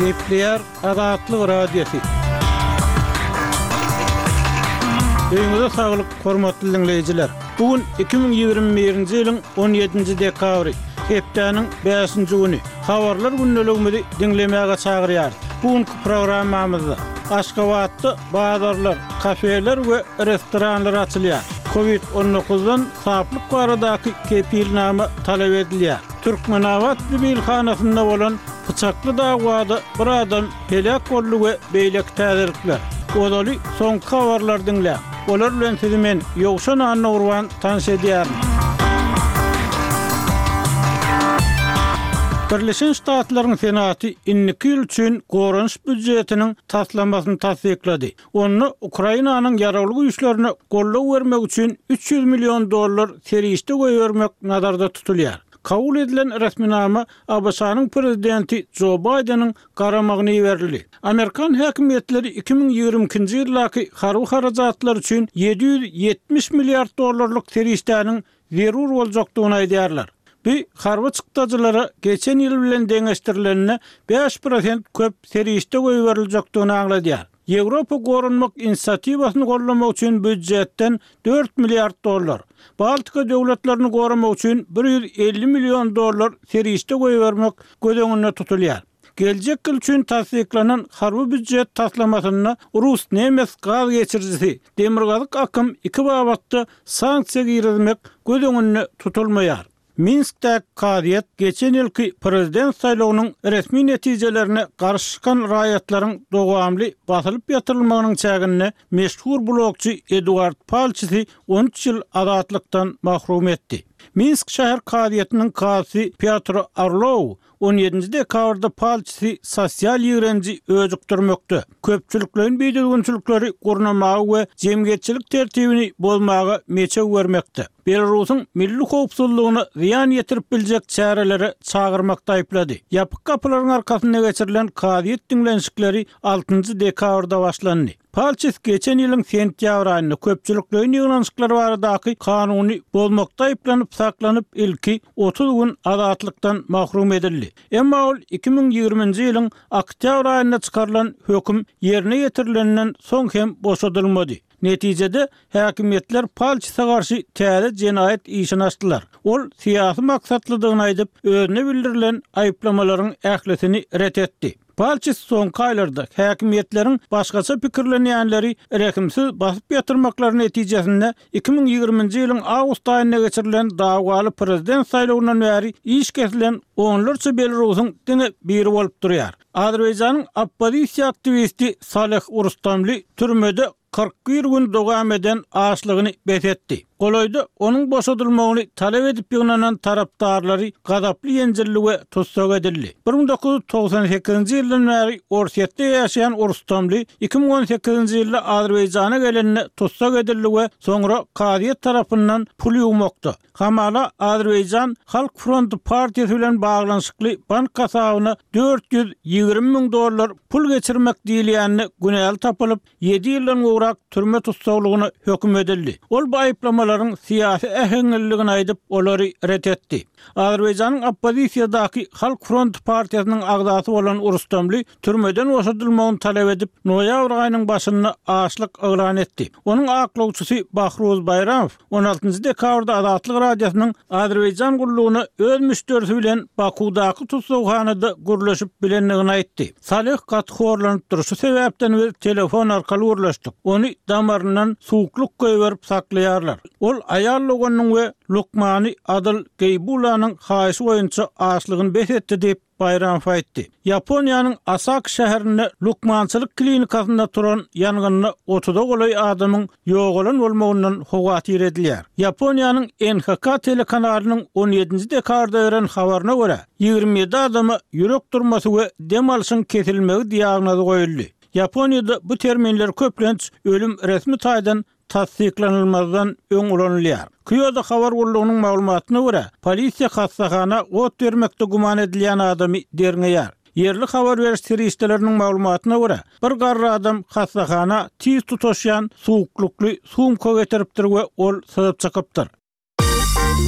Gepleýär Azatlyk Radiosy. Öýüňize saglyk, hormatly diňleýjiler! Bu gün 2021-nji ýylyň 17-nji dekabry, hepdäniň bäşinji güni. Habarlar gündeligimizi diňlemäge çagyrýarys. Bu günki programmamyzda Aşgabatda bazarlar, kafeler we restoranlar açylýar. Covid 19-dan saplyk baradaky kepilnama talap edilýär. Türkmenabat zibilhanasynda bolan pyçakly dawada bir adam heläk boldy we beýleki täzelikler. Ozaly soňky habarlary diňläň. Olar bilen sizi men, Ýowşan Annagurban tanyş edýärin. Birleşen Ştatlaryň Senaty indiki ýyl üçin goranyş býujetiniň taslamasyny tassyklady. Onda Ukrainanyň Ýaragly Güýçlerine goldaw bermek üçin 300 million dollar serişde goýbermek nazarda tutulýar. Kabul edilen resminama ABŞ-nyň Prezidenti Jo Baýdeniň garamagyna iberildi. Amerikan häkimiýetleri 2022-nji ýyldaky harby harajatlar üçin 770 milliard dollarlyk serişdäniň zerur boljakdygyny aýdýarlar. Bu harby çykdajylara geçen ýyl bilen deňeşdirilende 5 prosent köp serişde goýberiljekdigini aňladýar. Ýewropa goranmak inisiatiwasyny goldamak üçin býujetden 4 milliard dollar, Baltika döwletlerini goramak üçin 150 million dollar serişde goýbermek göz öňünde tutulýar. Geljek ýyl üçin tassyklanan harby býujet taslamasynda rus-nemes gaz geçirijisi, Demirgazyk akym iki babatda sanksiýa girizmek göz öňünde tutulmaýar. Minskdäki kazyýet geçen ýylky prezident saýlawynyň resmi netijelerine garşy çykan raýatlaryň dowamly basylyp ýatyrylmagynyň çäginde meşhur blogçy Eduard Palçisi 13 ýyl azatlykdan mahrum etdi. Minsk şäher kazyýetiniň kazysy Pýotr Orlow 17 dekabrda palçysy sosial ýigrenji öjükdirmekde, köpçülikleýin bidüzgünçilikleri gurnamaga we jemgyýetçilik tertibini bozmaga meçew bermekde, Belarusyň milli howpsuzlygyna zyýan ýetirip biljek çärelere çagyrmakda aýyplady. Ýapyk gapylaryň arkasynda geçirilen kazyýet diňlenişikleri altynjy dekabrda başlandy. Palçis geçen ýylyň sentýabr aýynda köpçülikleýin ýygnanyşyklar baradaky kanuny bozmakda aýyplanyp saklanyp, ilki 30 gün azatlykdan mahrum edildi. Emma ol 2020-nji ýylyň oktýabr aýynda çykarylan höküm ýerine ýetirilenden soň hem boşadylmady. Netijede, häkimiýetler Palçise garşy täze jenaýat işini açdylar. Ol syýasy maksatlydygyny aýdyp, özüne bildirilen aýyplamalaryň ählisini ret etdi. Palçis soňky aýlarda häkimiýetleriň başgaça pikirlenýänleri rehimsiz basyp ýatyrmaklary netijesinde 2020-nji ýylyň awgust aýynda geçirilen dawaly prezident saýlawyndan bäri iş kesilen onlarça belarusyň diňe biri bolup durýar. Azerbaýjanyň oppozisiýa aktiwisti Saleh Rustamli türmede 41 gün dowam eden açlygyny bes etdi. Golaýda onuň boşadylmagyny talap edip ýygnanan tarapdarlary gazaply ýenjildi we tussag edildi. 1998-nji ýyldan bäri Orsýetde ýaşaýan Rustamli 2018-nji ýylda Azerbaýjana gelende tussag edildi we soňra kazyýet tarapyndan pul ýuwmakda, hamala Azerbaýjan Halk fronty partiýasy bilen baglanyşykly bank hasabyna 420 müň dollar pul geçirmek diýilýände günäli tapylyp, ýedi ýyldan gowrak türme tussaglygyna höküm edildi. Ol bu aýyplamalaryň syýasy äheňliligini aýdyp, olary ret etdi. Azerbaýjanyň oppozisiýadaky Halk fronty partiýasynyň agzasy bolan Rustamli türmeden boşadylmagyny talap edip, noýabr aýynyň başynda açlyk yglan etdi. Onuň aklawçysy Bahruz Baýramow 16 dekabrda Azatlyk Radiosynyň Azerbaýjan gullugyna öz müşderisi bilen Bakuwdaky tussaghanada gürleşip bilendigini aýtdy. Saleh gaty horlanypdyr, şu sebäpden biz telefon arkaly gürleşdik. Ony damaryndan suwuklyk goýberip saklaýarlar. Ol aýal doganynyň we lukmany Adyl Geýbulanyň haýyşy boýunça açlygyny bes etdi diýip, Baýramow aýtdy. Ýaponiýanyň Osaka şäherinde lukmançylyk klinikasynda turan ýangynda otuza golaý adamyň ýogalan bolmagyndan howatyr edilýär. Ýaponiýanyň NHK telekanalynyň on ýedinji dekabrda beren habaryna görä, 27 adama ýürek durmasy we dem alşyň kesilmegi diagnozy goýuldy. Ýaponiýada bu terminler köplenç ölüm resmi taýdan tassyklanylmazdan öň ulanylýar. Kýodo habar gullugynyň maglumatyna görä, polisiýa hassahana ot bermekde güman edilýän adamy derňeýär. Ýerli habar beriş serişdeleriniň maglumatyna görä, bir garry adam hassahana tiz tutaşýan suwuklykly sumka getiripdir we ol syzyp çykypdyr.